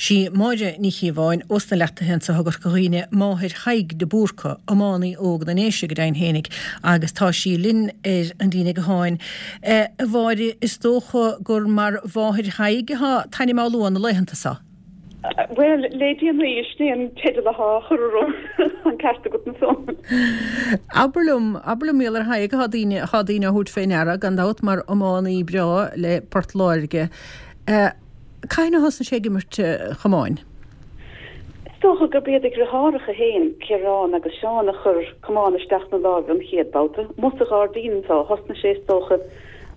Sí Máire Ní Chíobháin ós na Leachtaithe anso i gCorca Dhuibhne máthair Thaidhg de Búrca, iománaí óg na nDéise go deimhin fhéinig, agus tá sí linn ar an líne gutháin. A Mháire, is dócha gur mar mháthair Thaidhg atá t'ainm á lua na laethanta so? Bhuel, le déanaí, sin é an teideal atá á chur orm, an ceart agat ansan. Abair liom, abair liom, mar gheall ar Thadhg atá daoine, atá daoine á thabhairt fé ndeara, gan dabht, mar iománaí breá le Port Láirge. Cathain a thosnaigh sé ag imirt chamáin? Is dócha gurb iad a dheartháireacha féin, Ciarán agus Seán, a chuir camán isteach 'na láimh an chéad babhta. Amuigh sa ghairdín anso a thosnaigh sé, is dócha,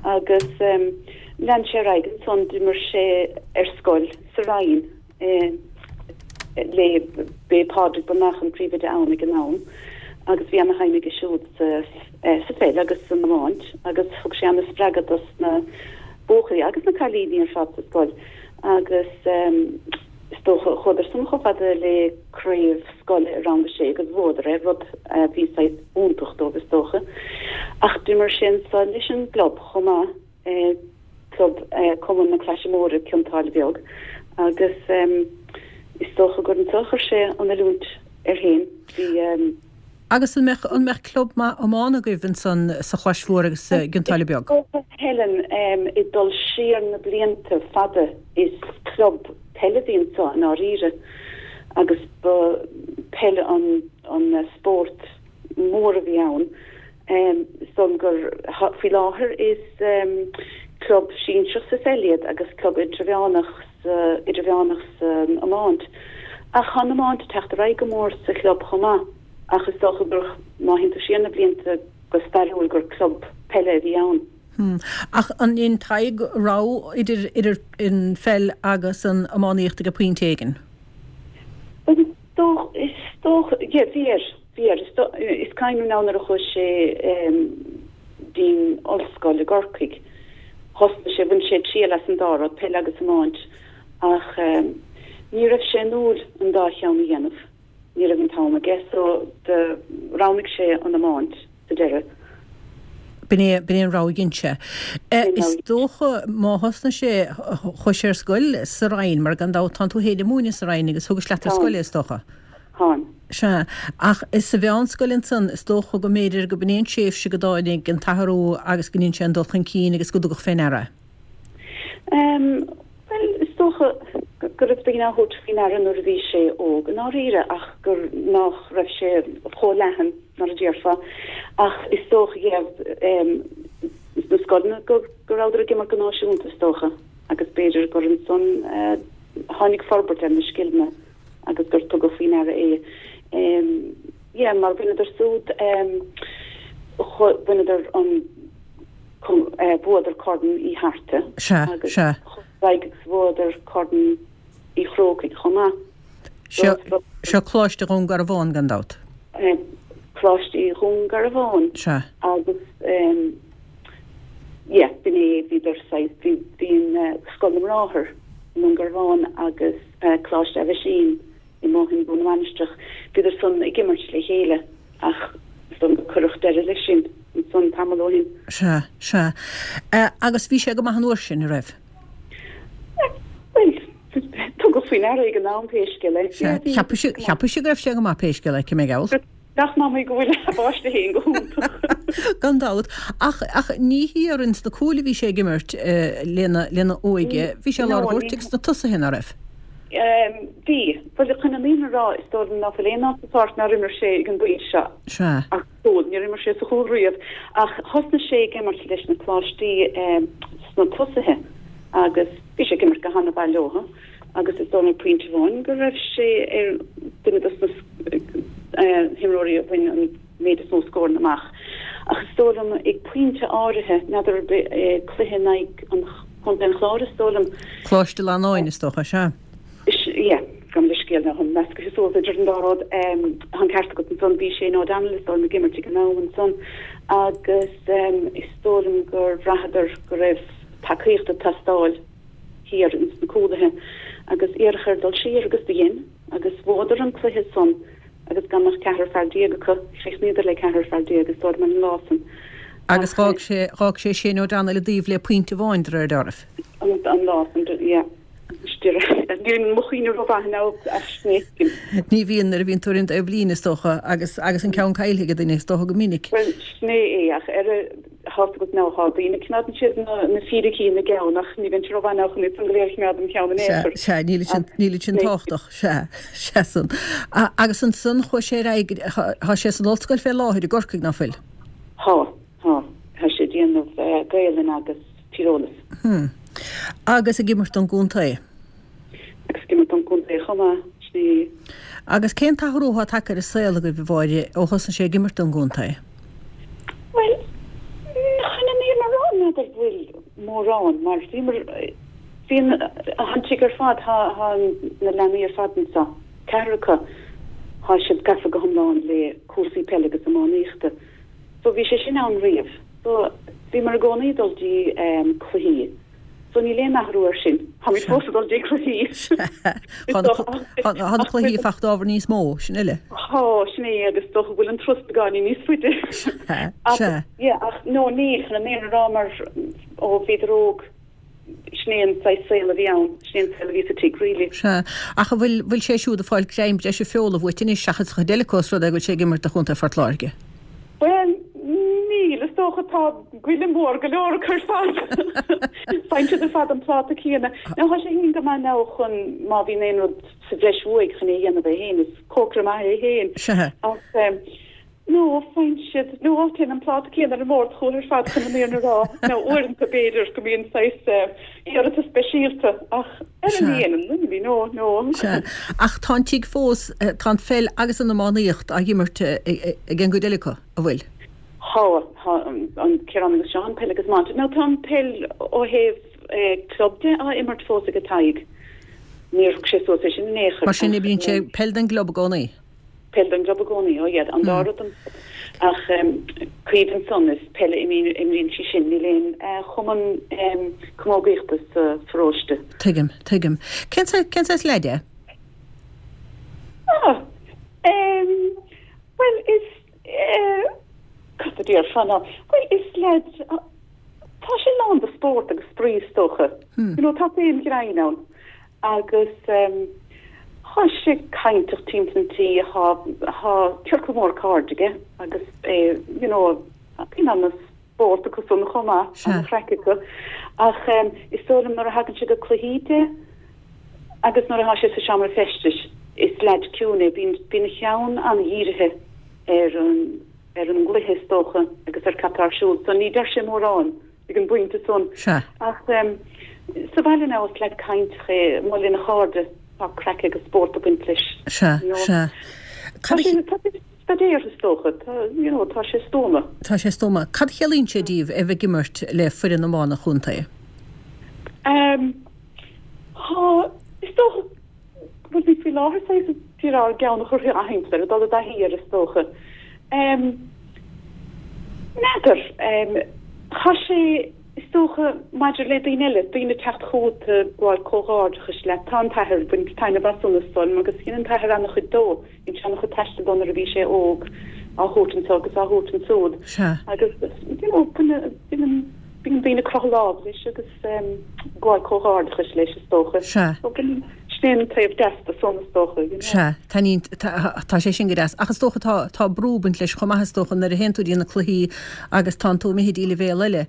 agus lean sé ar aghaidh ansan, d'imir sé ar scoil sa Rinn le, b'é Pádraig Breathnach an príomhoide ann ag an am agus bhí ana-shuim aige siúd sa sa pheil agus san iomáint agus thug sé ana-spreagadh dos na buachaillí agus na cailíní ar fad sa scoil agus is dócha chuadar san chomh fada le craobh scoile i rang a sé agus bhuadar é, rud a bhí saghas iontach dóibh is dócha. Ach d'imir sé ansan leis an gclub chomh maith, club Cumann na Claise Móire, Cionn tSáile Beag agus is dócha gur anso a chuir sé an oiliúint air féin. Bhí. Agus an mbeadh, an mbeadh club maith iomána agaibh ansan sa Chlais Mhór agus i gCionn tSáile Beag? Helen, ag dul siar na blianta fada is club peile a bhí anso i ndáiríre agus ba peil an an spórt mór a bhí ann. Is dóigh liom gur faoi láthair is club sinsearach sa pheil iad agus club idirmheánach sa idirmheánach san iomáint. Ach tá an iomáint ag teacht ar aghaidh go mór sa chlub chomh maith. Ach is dócha gur, má théann tú siar na blianta go stairiúil, gur club peile a bhí ann. Hmm. Ach an ndein Tadhg rogha idir, idir an pheil agus an iománaíocht ag pointe éigin? Bhuel, is dócha, is dócha, yeah, bhí air, bhí air. Is dó, is cuimhin liom nuair a chuaigh sé dtí'n ollscoil i gCorcaigh, thosnaigh sé, bhain sé triail as an dá rud, peil agus iomáint, ach ní raibh sé inniúil an dá cheann a dhéanamh. Ní raibh an t-am aige so do roghnaigh sé an iomáint sa deireadh. B'in é, b'in é an rogha a dhein sé. Is dócha má thosnaigh sé, chuaigh sé ar scoil sa Rinn, mar gan dabht tánn tú féin ag múineadh sa Rinn agus thugais leat ar scoil é is dócha. Táim. Sea. Ach sa mheánscoil ansan, is dócha go mb'fhéidir go b'in é an tréimhse go dtáinig an t-athrú agus go ndein sé an dul chun cinn agus go dtugadh fé ndeara é. Bhuel, is dócha go raibh daoine á thabhairt faoi ndeara nuair a bhí sé óg i ndáiríre ach gur nach raibh sé chomh leathan mar a déarfá. Ach is dócha, yeah, sna scoileanna go rabhadar ag imirt go náisiúnta is dócha agus b'fhéidir gur ansan a tháinig forbairt ar na scileanna agus gur tugadh faoi ndeara é. Yeah, mar bhaineadar súd, bhaineadar an. Bhuadar Corn Uí Tharta Sea, agus sea. chuaigh agus bhuadar Corn Uí Chrócaigh chomh maith. Seo, seo Coláiste Dhún Garbhán gan dabht. Coláiste Dhún Garbhán. Sea. Agus yeah, b'in é, bhíodar saghas, bhí, bhí an Scoil na mBráthar i nDún Garbhán agus Coláiste Aibhisín i mBóthar na Mainistreach, bhíodar san ag imirt le chéile ach is dóigh liom gur cuireadh deireadh leis sin ansan tamall ó shin. Sea, sea. Agus bhí sé go maith an uair sin, a raibh? Bhuel, tugadh faoi ndeara ag an am pé scéal é. Sea, cheapfainn, cheapfainn go raibh sé go maith pé scéal é, cé mé gheall. Nach maith mé go bhfuil a bpáiste féin go hiontach. Gan dabht. Ach, ach ní thiar ins na cúil a bhí sé ag imirt lena, lena óige. Bhí sé i lár an ghoirt agus sna tosaithe, ná raibh? Bhí. Bhuel, chun an fhírinne a rá, is dóigh liom ná fuil aon áit sa pháirc nár imir sé ag an bpointe seo. Sea. Ach cúl, níor imir sé sa chúl riamh. Ach thosnaigh sé ag imirt leis na coláistí sna tosaithe agus bhí sé ag imirt go hana-mhaith leo. agus is dóigh liom ag pointe amháin go raibh sé ar duine dos na himreoirí a bhain an méid is mó scóranna amach. Ach is dóigh liom ag pointe áirithe, n'fheadar ar bith, cluiche in aghaidh an Chontae an Chláir is dóigh liom. Coláiste Fhlannáin is dócha, sea. Yeah, gabh mo leithscéal, táim meascaithe suas idir an dá rud. Tá an ceart agat ansan, bhí Shane O'Donnell is dóigh liom ag imirt ag an am ansan agus is dóigh liom gur bhraitheadar go raibh tacaíocht ag teastáil. thiar ins na cúlaithe agus iarradh air dul siar agus do dhein agus bhuadar an cluiche san agus gan ach ceathrar fear déag acu, chríochnaíodar le ceathrar fear déag is dóigh liom ar an lá san. Agus Ach dh'fhág sé, dh'fhág sé Shane O'Donnell i dtaobh le pointe amháin de réir dealraimh. an, an lá san, yeah. Níl mo chuimhne rómhaith now as sin. Ní bhíonn nuair a bhíonn tú ar an dtaobhlíne is dócha agus agus an ceann caillte ag duine is dócha go minic. Bhuel sin é é ach ar a tá a fhios agat now tá daoine coimeádann siad na na fíricí ina gceann ach ní bhíonn sé rómhaith now chun iad san go léir a choimeád im cheann in aon chor. Sea, níl sin níl sin tábhachtach, sea, sea san. Agus ansan chuaigh sé ar aghaidh, tá sé san ollscoil fé láthair i gCorcaigh, ná fuil? Tá, tá, tá sé ag déanamh Gaelainn agus Tíreolas. Hmm. Agus ag imirt don gcontae. Agus ag imirt don gcontae chomh maith, sin é. Agus cén t-athrú atá tagtha ar an saol agaibh, a Mháire, ó thosnaigh sé ag imirt don gcontae? Bhuel, chun an fhírinne a rá, n'fheadar bhfuil mórán, mar bhíomar, bhí an, an tigh ar fad, tá, tá na leanaí ar fad anseo, ceathrar acu, tá siad gafa go hiomlán le cúrsaí peile agus iománaíochta. So bhí sé sin ann riamh. So bhíomar i gcónaí ag dul dtí cluichí. So níl aon athrú air sin. Táimid fós ag dul dtí cluichí. Tá na cluichí ag fáil ábhar níos mó, sin uile. Tá, sin é, agus is dócha go bhfuil an turas beagáinín níos faide. Sea, sea. Yeah, ach no, níl, chun an fhírinne a rá mar ó bhíodar óg, Sin é an saghas saol a bhí ann, sin é an saol a bhí sa tigh really. Sea. Ach an bhfuil, bhfuil sé siúd ag fáil greim breise feola uait anois seachas an chuid eile acu os rud é go bhfuil sé ag imirt do Chontae Phort Láirge? Bhuel, níl, is dócha, tá goile mór go leor acu ar fad. Faigheann siad ar fad an pláta céanna. Now tá sé féin go maith now chun má bhíonn aon rud sa bhreis uaidh chun é a dhéanamh é féin, is cócaire maith é féin. Sea. Ach eh, No, faigheann siad, no, téann an pláta céanna ar an mbord chucu ar fad chun an fhírinne a rá. Now, uaireanta b'fhéidir go mbíonn saghas iarratas speisialta ach ar an líon, ní, no, no. Sea. Ach tá an tigh fós, tá an pheil agus an iománaíocht á dh'imirt ag an gcuid eile acu, an bhfuil? Tá, tá, an Ciarán agus Seán, peil agus iomáint. Now, tá an peil ó thaobh club de á imirt fós ag Tadhg. Níor thug sé suas é sin in aon chor. Mar sin, imríonn sé peil don gclub i gcónaí? Peil don gclub i gcónaí, oh yeah, an dá rud don chlub. Ach Caoimhe ansan, is peil a imríonn sí sin, níl aon chumann camógaíochta sa pharóiste. Tuigim, tuigim. Cén cén saghas leaid é? Ah, em, bhuel is, eh, cad a déarfá ná, bhuel is leaid, tá sé lán de spórt agus spraoi is dócha. You know, tá féin ghreann ann. Agus tá sé cainteach timpeall an tí, tá ciorcal mór cairde aige agus é, you know, bíonn ana-spórt acu san chomh maith, ana-chraic acu. Ach is dóigh liom nuair a thagann sé go cluichí de agus nuair atá sé sa seomra feistis, is leaid ciúin é, bíonn, bíonn a cheann ana-dhírithe ar an, ar an gcluiche is dócha agus ar cad tá ar siúl so ní deir sé mórán. ag an bpointe san. Sea. Ach sa bhaile now is leaid cainteach é, amuigh lena chairde, tá craic agus spórt ag baint leis. Sea, You know. sea. Tá Cad a sé, tá sé staidéartha is dócha, tá, you know, tá sé stuama. Tá sé stuama. Cad a chiallaíonn sé díbh a bheith ag imirt le foireann iomána an chontae? Ehm, tá, is dócha go bhfuil faoi láthair saghas ag iarraidh ár gceann a chur thimpeall air, ag dul i dtaithí air is dócha. Ehm, n'fheadar, ehm, tá sé, is dócha, maidir le daoine eile, daoine ag teacht chugat ag gabháil comhghairdeachais leat, tá an t-athair, ag baint taitneamh as san is dóigh liom agus dhein an t-athair an-chuid dó, dhein sé an-chuid taistil dó nuair a bhí sé óg, á thabhairt anseo agus á thabhairt ansiúd. Sea. Agus, you know, baineann, baineann, bíonn daoine ag croitheadh lámh leis agus ag gabháil comhghairdeachais leis is dócha. Sea. So baineann, sin é an taobh deas de san is dócha, you know. Sea, taitníonn, tá sé sin go deas. Ach is dócha tá, tá brú ag baint leis chomh maith is dócha nuair a théann tú dtí na cluichí agus tánn tú imithe dtí leibhéal eile,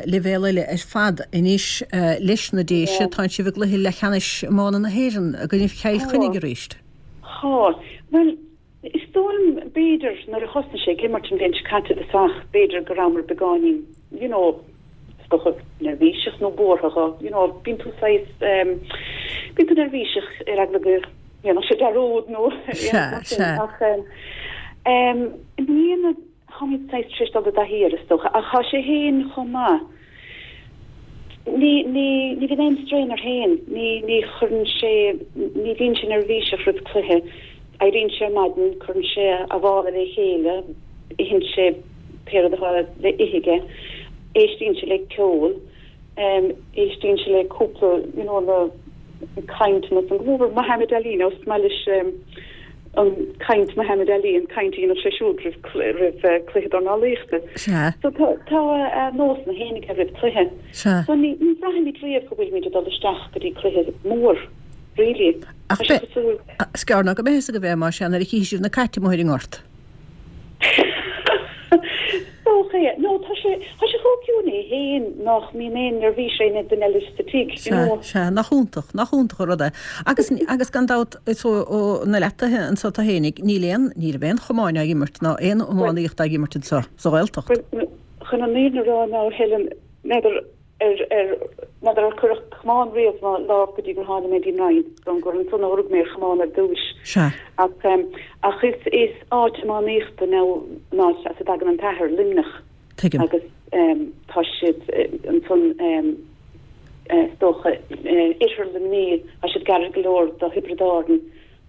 leibhéal eile ar fad anois leis na Déise, tánn sibh i gcluiche leathcheannais iomána na hÉireann i gcoinnibh Chill Chainnigh arís. Tá. Bhuel, Is dóigh liom, b'fhéidir, nuair a thosnaigh sé ag imirt an bhliain seo caite i dtosach, b'fhéidir go rabhamar beagáinín, you know, is dócha, neirbhíseach nó buartha dho, you know, bíonn tú saghas, em, bíonn tú neirbhíseach ar eagla go ndéanfadh sé dearúd nó aon rud mar sin ach, em, em, i mbliana, Táimid saghas tar éis dul i dtaithí air, is dócha, ach tá sé féin chomh maith. Ní, ní, ní bhíonn aon strain air féin. Ní, ní chuireann sé, ní bhíonn sé neirbhíseach roimh cluiche. Éiríonn sé ar maidin, cuireann sé a mhála le chéile, itheann sé pé rud atá le ithe aige, éistíonn sé le ceol, éistíonn sé le cúpla, you know, na cainteanna san, go mór mór Muhammad Ali, now is maith leis. An caint Muhammad Ali, an caint a dhéanadh sé siúd roimh roimh cluiche dornálaíochta. Sea. So tá tá a nósanna féin aige roimh cluiche. Sea. So ní ní bhraithimid riamh go bhfuilimid ag dul isteach go dtí cluiche mór, really. Ach Tá sé cosúil. Is gearr ná go mbeidh fhios agaibh é, más ea, nuair a chífidh sibh na cait amuigh ar an ngort. Dócha é. No, tá sé, tá sé chomh ciúin é féin nach mbíonn aon neirbhís ar aon duine eile sa tigh, you know. Sea, sea, nach iontach, nach iontach an rud é. Agus, agus gan dabht, is ó, ó na Leataithe anso tú fhéinig, níl aon, ní raibh aon chamán á imirt ná aon iománaíocht á imirt anso, sa Ghaeltacht. Bhuel, chun an fhírinne a rá now, Helen, n'fheadar ar, ar, n'fheadar ar cuireadh camán riamh i mo lámh go dtí gur tháinig mé dtí'n Rinn, don gur ansan a rug mé ar chamán ar dtúis. Sea. Ach, ach is, is áit iománaíochta now an áit as a dtagann an t-athair, Luimneach. Tuigim. Agus tá siad ansan, is dócha, oirthear Luimnigh, tá siad gairid go leor do Thiobraid Árann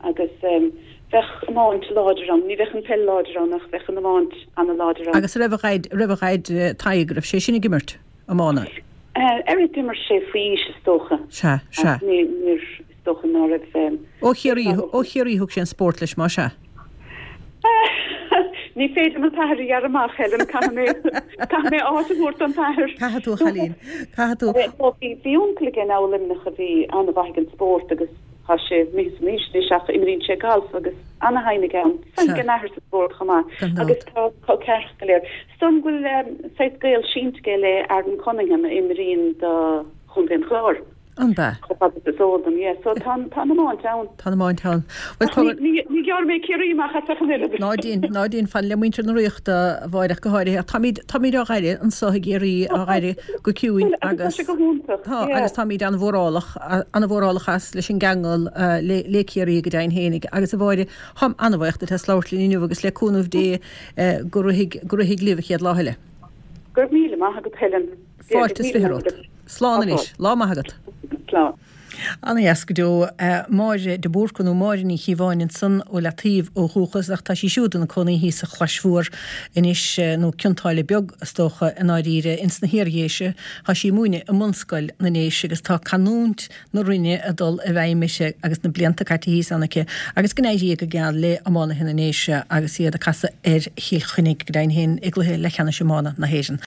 agus bheadh iomáint láidir ann. Ní bheadh an peil láidir ann ach bheadh an iomáint ana-láidir ann. Agus raibh a dhaid, raibh a dhaid Tadhg, raibh sé sin ag imirt iomána? Ar d'imir sé faoi aois is dócha. Sea, sea. Ach ní, níor, is dócha ná raibh. Ó Chiarraí, ó Chiarraí thug sé an spórt leis, más ea? Ní féidir an t-athair a ghearradh amach, Helen, caithfidh mé, caithfidh mé áit a thabhairt don t-athair. Caithfidh tú, a chailín, caithfidh tú. Bhí, bhí uncail aige now i Luimneach a bhí an-mhaith ag an spórt agus tá sé imithe san aois anois ach imríonn sé galf agus ana-shuim aige ann. Suim ag an athair sa spórt chomh maith. Gan dabht. Agus tá col ceathracha go léir. Is dóigh liom go bhfuil saghas gaol sínte aige le Aaron Cunningham a imríonn do Chontae an Chláir. An b'ea? Chomh fada is is eol dom, yeah. So tá an, tá an iomáint ann. Tá an iomáint ann. Bhuel, tá. Ní, ní, ní ghearrfaidh mé Ciarraí amach as ach an oiread. Ná déan, ná déan, fan le muintir na Ríochta, a Mháire, ach go háirithe. Ach táimid, táimid á dh'aire anso i gCiarraí, á dh'aire go ciúin Bhuel, agus tá agus. sé go hiontach, Tá, yeah. agus táimid an-mhórálach, an-mhórálach as leis an gceangal le, le Ciarraí go deimhin fhéinig. Agus a Mháire, táim an-bhuíoch duit as labhairt linn inniu agus le cúnamh Dé go rithfidh, go rithfidh libh an chéad lá eile. Go raibh míle maith agat, Helen. Fáilte is 20 romhat. Slán anois. Lá maith agat. Slán. Ana-dheas go deo. Máire de Búrca nó Máire Ní Chíobháin ansan ó Leataoibh ó dhúchas ach tá sí siúd ina cónaí thíos sa Chlais Mhór anois, nó Cionn tSáile Beag is dócha i ndáiríre, ins na hIar-Dhéise. Tá sí ag múineadh i mBunscoil na nDéise agus tá canúint na Rinne ag dul i bhfeidhm uirthi agus na blianta caite thíos ann aici agus go n-éirí go geal le iománaithe na nDéise agus iad ag casadh ar Chill Chainnigh go deimhin féin i gcluiche leathcheannais iomána na hÉireann.